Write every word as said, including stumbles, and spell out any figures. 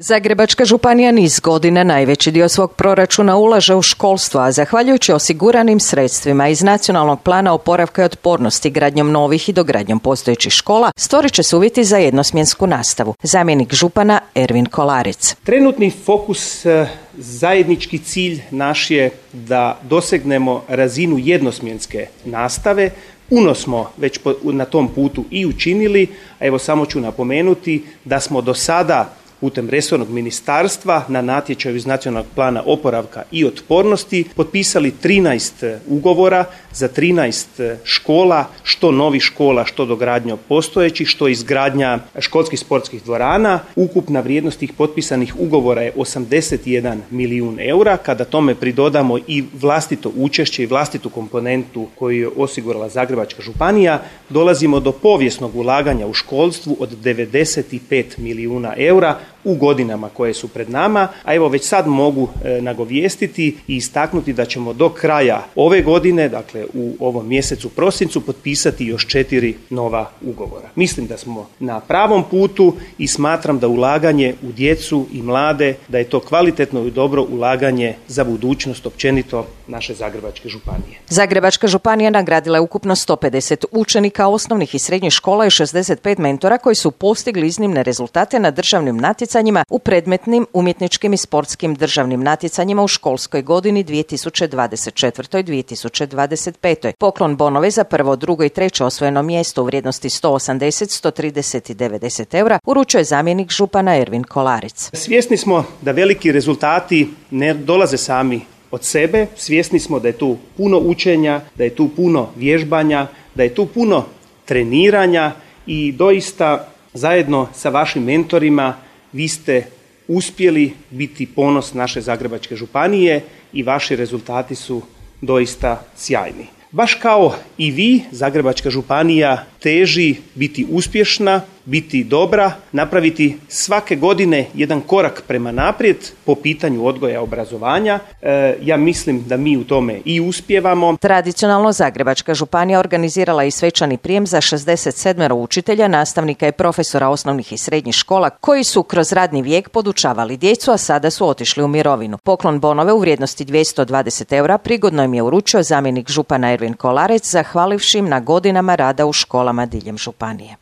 Zagrebačka županija niz godina najveći dio svog proračuna ulaže u školstvo, a zahvaljujući osiguranim sredstvima iz Nacionalnog plana oporavka i otpornosti, gradnjom novih i dogradnjom postojećih škola, stvorit će se uvjeti za jednosmjensku nastavu. Zamjenik župana Ervin Kolaric. Trenutni fokus, zajednički cilj naš je da dosegnemo razinu jednosmjenske nastave. Puno smo već na tom putu i učinili, a evo samo ću napomenuti da smo do sada putem resornog ministarstva na natječaju iz Nacionalnog plana oporavka i otpornosti potpisali trinaest ugovora za trinaest škola, što novih škola, što dogradnja postojećih, što izgradnja školskih sportskih dvorana. Ukupna vrijednost tih potpisanih ugovora je osamdeset jedan milijun eura. Kada tome pridodamo i vlastito učešće i vlastitu komponentu koju je osigurala Zagrebačka županija, dolazimo do povijesnog ulaganja u školstvu od devedeset pet milijuna eura u godinama koje su pred nama, a evo već sad mogu e, nagovijestiti i istaknuti da ćemo do kraja ove godine, dakle u ovom mjesecu prosincu, potpisati još četiri nova ugovora. Mislim da smo na pravom putu i smatram da ulaganje u djecu i mlade, da je to kvalitetno i dobro ulaganje za budućnost općenito naše Zagrebačke županije. Zagrebačka županija nagradila je ukupno sto pedeset učenika osnovnih i srednjih škola i šezdeset pet mentora koji su postigli iznimne rezultate na državnim natjecanjima u predmetnim umjetničkim i sportskim državnim natjecanjima u školskoj godini dvije tisuće dvadeset četvrtoj dvije tisuće dvadeset petoj. Poklon bonove za prvo, drugo i treće osvojeno mjesto u vrijednosti sto osamdeset, sto trideset i devedeset eura uručuje zamjenik župana Ervin Kolaric. Svjesni smo da veliki rezultati ne dolaze sami od sebe, svjesni smo da je tu puno učenja, da je tu puno vježbanja, da je tu puno treniranja i doista zajedno sa vašim mentorima vi ste uspjeli biti ponos naše Zagrebačke županije i vaši rezultati su doista sjajni. Baš kao i vi, Zagrebačka županija teži biti uspješna, biti dobra, napraviti svake godine jedan korak prema naprijed po pitanju odgoja i obrazovanja. E, ja mislim da mi u tome i uspijevamo. Tradicionalno Zagrebačka županija organizirala i svečani prijem za šezdeset sedam učitelja, nastavnika i profesora osnovnih i srednjih škola koji su kroz radni vijek podučavali djecu, a sada su otišli u mirovinu. Poklon bonove u vrijednosti dvjesto dvadeset eura prigodno im je uručio zamjenik župana Ervin Kolaric, zahvalivši im na godinama rada u školama diljem županije.